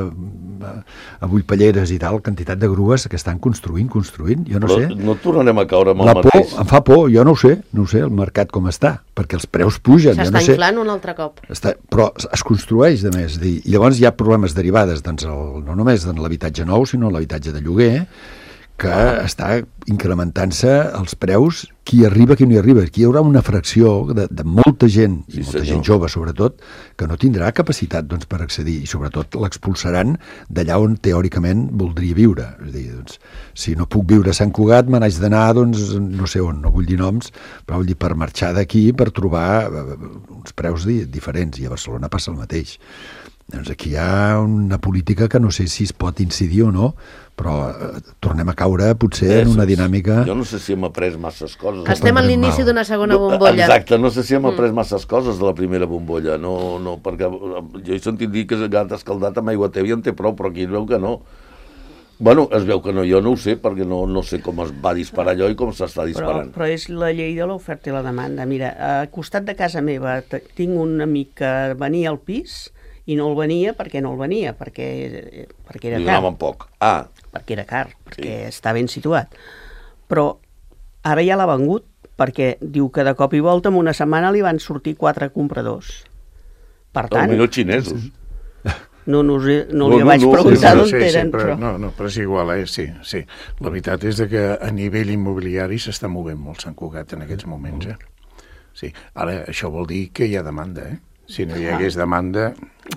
a Vullpelleres i tal, quantitat de grues que estan construint, construint, jo no Però sé. no tornarem a caure amb el la por, mateix. em fa por, jo no ho sé, no ho sé, el mercat com està, perquè els preus pugen. S'està jo no sé. inflant un altre cop. Està, però es construeix, de més. I llavors hi ha problemes derivades, doncs, el, no només de l'habitatge nou, sinó l'habitatge de lloguer, que ah. està incrementant-se els preus, qui arriba, qui no hi arriba. Aquí hi haurà una fracció de, de molta gent, sí, i molta senyor. gent jove sobretot, que no tindrà capacitat doncs, per accedir, i sobretot l'expulsaran d'allà on teòricament voldria viure. És a dir, doncs, si no puc viure a Sant Cugat, me n'haig d'anar, doncs, no sé on, no vull dir noms, però vull dir per marxar d'aquí, per trobar uns preus di diferents, i a Barcelona passa el mateix. Doncs aquí hi ha una política que no sé si es pot incidir o no, però eh, tornem a caure potser eh, en una dinàmica... Jo no sé si hem après masses coses. Estem a l'inici d'una segona bombolla. Exacte, no sé si hem après mm. masses coses de la primera bombolla, no, no, perquè jo he sentit dir que gat escaldat amb aigua tèbia en té prou, però aquí es veu que no. Bueno, es veu que no, jo no ho sé, perquè no, no sé com es va disparar allò i com s'està disparant. Però, però és la llei de l'oferta i la demanda. Mira, a costat de casa meva tinc un amic que venia al pis i no el venia perquè no el venia, perquè, perquè era Li car. donaven poc. Ah. Perquè era car, perquè Sí. està ben situat. Però ara ja l'ha vengut, perquè diu que de cop i volta en una setmana li van sortir quatre compradors. Per tant... Potser xinesos. No, no, no, no No, li no, vaig no, preguntar sí, d'on sí, eren, sí, però, però... no, no, però és igual, eh? Sí, sí. La veritat és que a nivell immobiliari s'està movent molt Sant Cugat en aquests moments, eh? Sí. Ara, això vol dir que hi ha demanda, eh? Si no hi hagués demanda,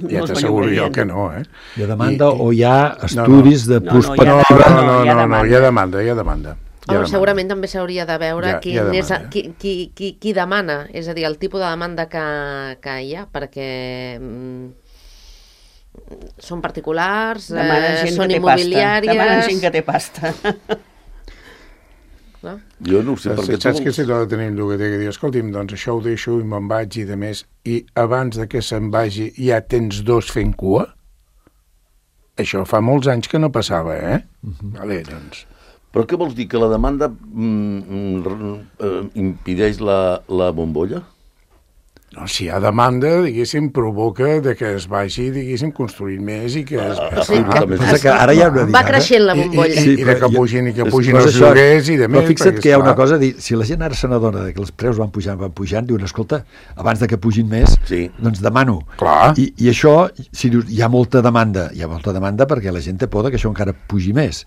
ja No es t'asseguro jo maniobrarien. que no, eh? Hi ha demanda I, o hi ha no, estudis no. de No, no, prospectiva... hi ha No, demanda. no, no, hi ha no, no, demanda. hi ha demanda, hi ha demanda. Hi ha Home, demanda. segurament també s'hauria de veure Hi ha- qui, hi ha és, demanda. qui, qui, qui, qui demana, és a dir, el tipus de demanda que, que hi ha, perquè mm, són particulars, Demana eh, gent són que té pasta. immobiliàries... Demana gent que té pasta. No? Jo no ho sé, Saps, perquè saps tu... que si l'ha de tenir un llogater que diu, escolti'm, doncs això ho deixo i me'n vaig i de més, i abans de que se'n vagi ja tens dos fent cua? Això fa molts anys que no passava, eh? Uh-huh. Vale, doncs... Però què vols dir, que la demanda mm, mm, impedeix la, la bombolla? No, si hi ha demanda, diguéssim, provoca de que es vagi, diguéssim, construint més i que es... Ah, Sí, ah, que- Passa que ara hi ha una Va diada. creixent la I, i, bombolla. i, Sí, i de però que jo- pugin i que és- pugin però els això- lloguers i de més... Però fixa't perquè, que hi ha una esclar, cosa, dir, si la gent ara se n'adona que els preus van pujant, van pujant, diuen, escolta, abans de que pugin més, Sí. doncs demano. Clar. I, I això, si dius, hi ha molta demanda, hi ha molta demanda perquè la gent té por que això encara pugi més.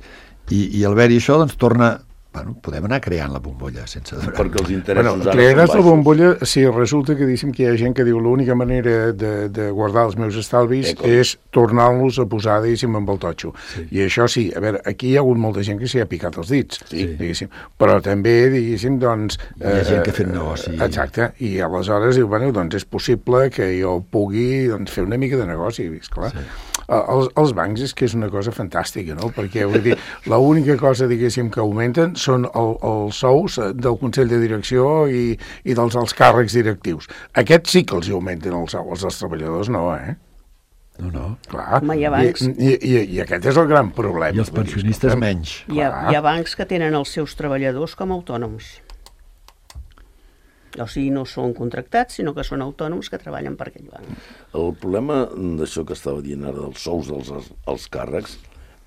I, i al veure això, doncs torna... Bueno, podem anar creant la bombolla sense adorar. Perquè els interessos Bueno, ara crearàs són la baixos. bombolla si resulta que, diguéssim, que hi ha gent que diu l'única manera de, de guardar els meus estalvis Eh, com? és tornar-los a posar, diguéssim, amb el totxo. Sí. I això sí, a veure, aquí hi ha hagut molta gent que s'hi ha picat els dits, Sí. diguéssim. Però també, diguéssim, doncs... Hi ha gent que ha fet negoci. Exacte, i aleshores diu, bueno, doncs és possible que jo pugui doncs, fer una mica de negoci, esclar. Sí. Els, els bancs és que és una cosa fantàstica, no? Perquè, vull dir, l'única cosa, diguéssim, que augmenten són el, els sous del Consell de Direcció i, i dels els càrrecs directius. Aquests sí que els augmenten els sous, els dels treballadors no, eh? No, no. Clar. Home, hi ha bancs. I, i, i, I aquest és el gran problema. I els pensionistes menys. Hi ha, Clar. hi ha bancs que tenen els seus treballadors com a autònoms. O sigui, no són contractats, sinó que són autònoms que treballen per aquell banc. El problema d'això que estava dient ara dels sous dels els càrrecs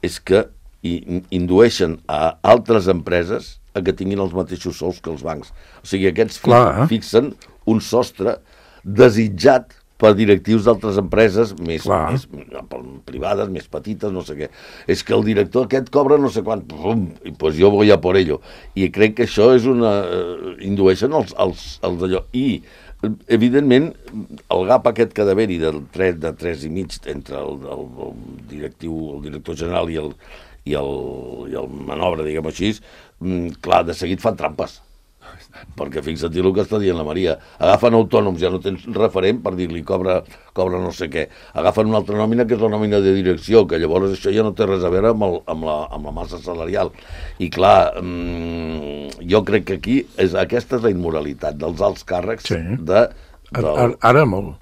és que i, indueixen a altres empreses a que tinguin els mateixos sous que els bancs. O sigui, aquests fi, Clar, eh? fixen un sostre desitjat per directius d'altres empreses més, més privades, més petites, no sé què. És que el director aquest cobra no sé quant, pum, i pues jo voy a por ello. I crec que això és una... indueixen els, els, els d'allò. I, evidentment, el gap aquest que ha d'haver-hi del tres, de tres i mig entre el, el, el directiu, el director general i el, i el, i el manobre, diguem així, clar, de seguit fan trampes. Perquè fixa't el que està dient la Maria, agafen autònoms, ja no tens referent per dir-li cobra, cobra no sé què, agafen una altra nòmina que és la nòmina de direcció, que llavors això ja no té res a veure amb, el, amb, la, amb la massa salarial. I clar, mmm, jo crec que aquí és, aquesta és la immoralitat dels alts càrrecs Sí. de... Ara, ara, ara molt.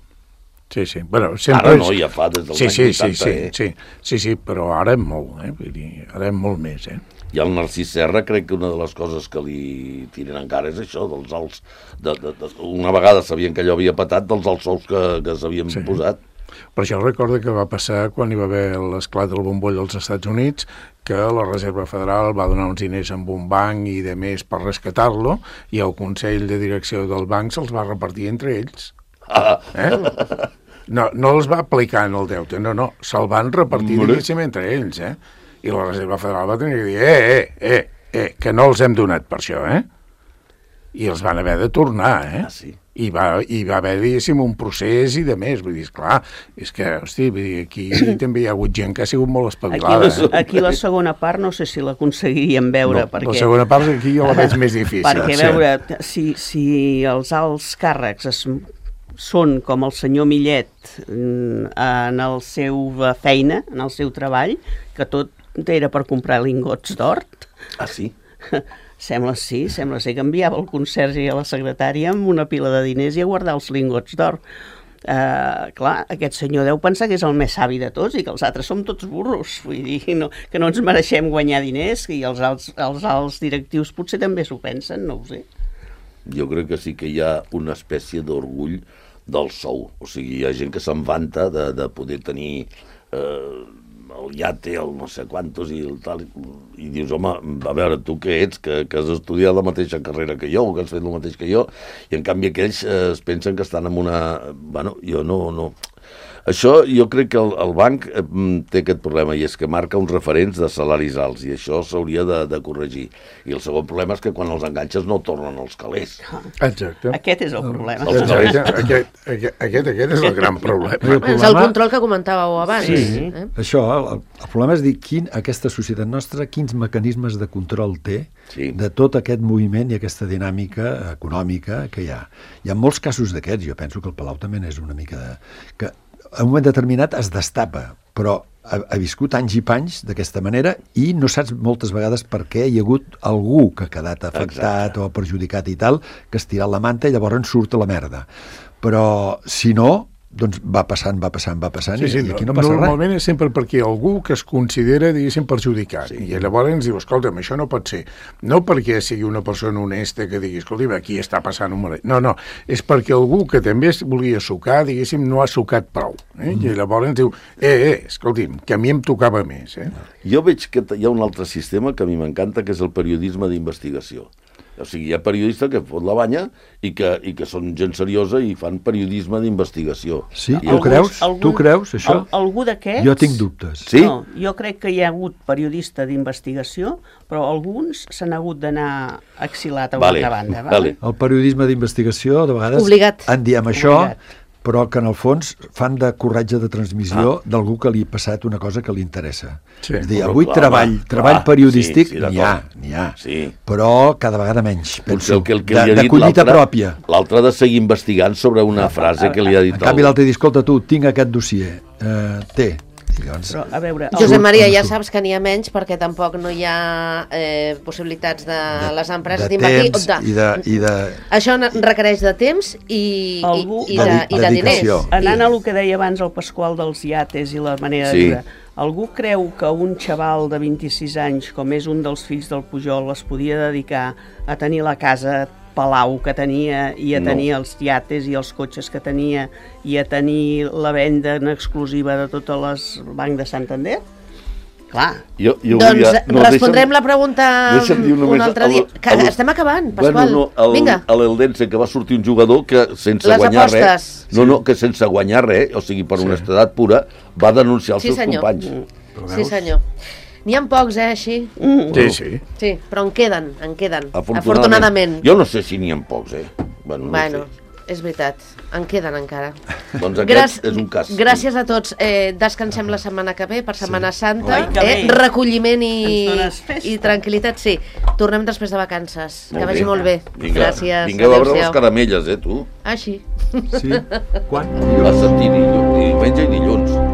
Sí, sí. Bueno, sempre ara no, ja fa des dels sí, anys sí, vuitanta, sí, eh? sí, sí, sí, sí, però ara és molt, eh? Vull dir, ara és molt més, eh? I el Narcís Serra crec que una de les coses que li tiren encara és això, dels alts... De, de, de, una vegada sabien que allò havia patat dels alts sous que, que s'havien Sí. posat. Per això recorda que va passar quan hi va haver l'esclat del bomboll als Estats Units, que la Reserva Federal va donar uns diners amb un banc i de més per rescatar-lo, i el Consell de Direcció del banc se'ls va repartir entre ells. Ah, Eh? No, no els va aplicar en el deute, no, no, se'l van repartir, Hombre. diguéssim, entre ells, eh? I la Reserva Federal va tenir que dir, eh, eh, eh, eh, que no els hem donat per això, eh? I els van haver de tornar, eh? ah sí. I va, i va haver, diguéssim, un procés i de més. Vull dir, esclar, és que, hosti, vull dir, aquí també hi ha hagut gent que ha sigut molt Aquí, espavilada. la, Eh? aquí la segona part no sé si l'aconseguiríem veure, No, perquè... la segona part aquí jo la veig més difícil. Perquè, a sí. veure, si, si els alts càrrecs es, són com el senyor Millet mm, en el seu feina, en el seu treball, que tot era per comprar lingots d'or, Ah, sí? sembla sí, sembla ser que enviava el conserge i a la secretària amb una pila de diners i a guardar els lingots d'or. Uh, clar, aquest senyor deu pensar que és el més savi de tots i que els altres som tots burros, vull dir, no, que no ens mereixem guanyar diners, i els alts, els alts directius potser també s'ho pensen, no ho sé. Jo crec que sí que hi ha una espècie d'orgull del sou. O sigui, hi ha gent que se'n vanta de, de poder tenir eh, el iate, el no sé quantos i el tal, i dius, home, a veure, tu què ets, que, que has estudiat la mateixa carrera que jo, o que has fet el mateix que jo, i en canvi aquells eh, es pensen que estan en una... Bueno, jo no... no... Això jo crec que el, el banc eh, té aquest problema, i és que marca uns referents de salaris alts, i això s'hauria de, de corregir. I el segon problema és que quan els enganxes no tornen els calés. Exacte. Aquest és el problema. Els Exacte. Aquest, aquest, aquest, aquest és el gran problema. El És el problema- control que comentàveu abans. Sí. Eh? Això, el, el problema és dir quin, aquesta societat nostra, quins mecanismes de control té Sí. de tot aquest moviment i aquesta dinàmica econòmica que hi ha. Hi ha molts casos d'aquests, jo penso que el Palau també és una mica de... que en un moment determinat es destapa, però ha, ha viscut anys i panys d'aquesta manera i no saps moltes vegades per què hi ha hagut algú que ha quedat afectat Exacte. o perjudicat i tal, que has tirat la manta i llavors en surt a la merda. Però, si no, doncs va passant, va passant, va passant, Sí, sí, i, i aquí no passa normalment res. és sempre perquè algú que es considera, diguéssim, perjudicat. Sí. I llavors ens diu, escolta'm, això no pot ser. No perquè sigui una persona honesta que digui, escolta'm, aquí està passant un mal... No, no, és perquè algú que també es volia sucar, diguéssim, no ha sucat prou. Eh? Mm. I llavors ens diu, eh, eh, escolti'm, que a mi em tocava més. Eh? Jo veig que hi ha un altre sistema que a mi m'encanta, que és el periodisme d'investigació. O sigui, hi ha periodistes que fot la banya i que, i que són gent seriosa i fan periodisme d'investigació. Sí, I tu creus? Tu creus, això? Al, algú d'aquests... Jo tinc dubtes. Sí? No, jo crec que hi ha hagut periodista d'investigació, però alguns s'han hagut d'anar exilat a una Vale, altra banda. vale. El periodisme d'investigació, de vegades, Obligat. en diem això, Obligat. però que en el fons fan de corretge de transmissió ah. d'algú que li ha passat una cosa que li interessa. Sí. És a dir, Però avui clar, treball, clar, treball sí, periodístic sí, n'hi ha, d'acord. n'hi ha, Sí. però cada vegada menys, Potser penso, el que, el que de, li ha de dit collita l'altre- pròpia. L'altre ha de seguir investigant sobre una frase que li ha dit En canvi, el... l'altre diu, escolta tu, tinc aquest dossier, eh, té. I llavors, Però, a veure... el- Josep Maria, on ja surt? saps que n'hi ha menys perquè tampoc no hi ha eh, possibilitats de, les empreses de d'invertir. temps de- i de... I de Això ne- requereix de temps i, i, Algú- i, de, i de diners. dedicació. Anant a el que deia abans el Pasqual dels iates i la manera Sí. de viure, algú creu que un xaval de vint-i-sis anys, com és un dels fills del Pujol, es podia dedicar a tenir la casa palau que tenia i a No. tenir els iates i els cotxes que tenia i a tenir la venda en exclusiva de totes les Banc de Santander? Clar, Jo, jo Doncs volia... respondrem deixa'm- la pregunta deixa'm dir un només altre el- dia. Que el- estem acabant, Pasqual. Bueno, no, el, Vinga. a l'Eldense, que va sortir un jugador que sense Les guanyar apostes. res... No, no, que sense guanyar res, o sigui, per honestedat pura, va denunciar els Sí, seus senyor. companys. Sí, senyor. N'hi ha pocs, eh, així? Sí, sí. Sí, però en queden, en queden. Afortunadament. Afortunadament. Jo no sé si n'hi ha pocs, eh? Bueno, no Bueno, ho sé. és veritat, en queden encara. Doncs aquest Gràcies- és un cas. Gràcies a tots. Eh, descansem la setmana que ve, per Setmana Santa. Ai, que Eh, bé. recolliment i, Ens dones festa. i tranquil·litat, sí. Tornem després de vacances. Molt que vagi bé. molt bé. Vinga, Gràcies. vinga a veure les Adéu-siau. caramelles, eh, tu? Ah, sí. sí. Quan? Va sentir dilluns, diumenge i dilluns.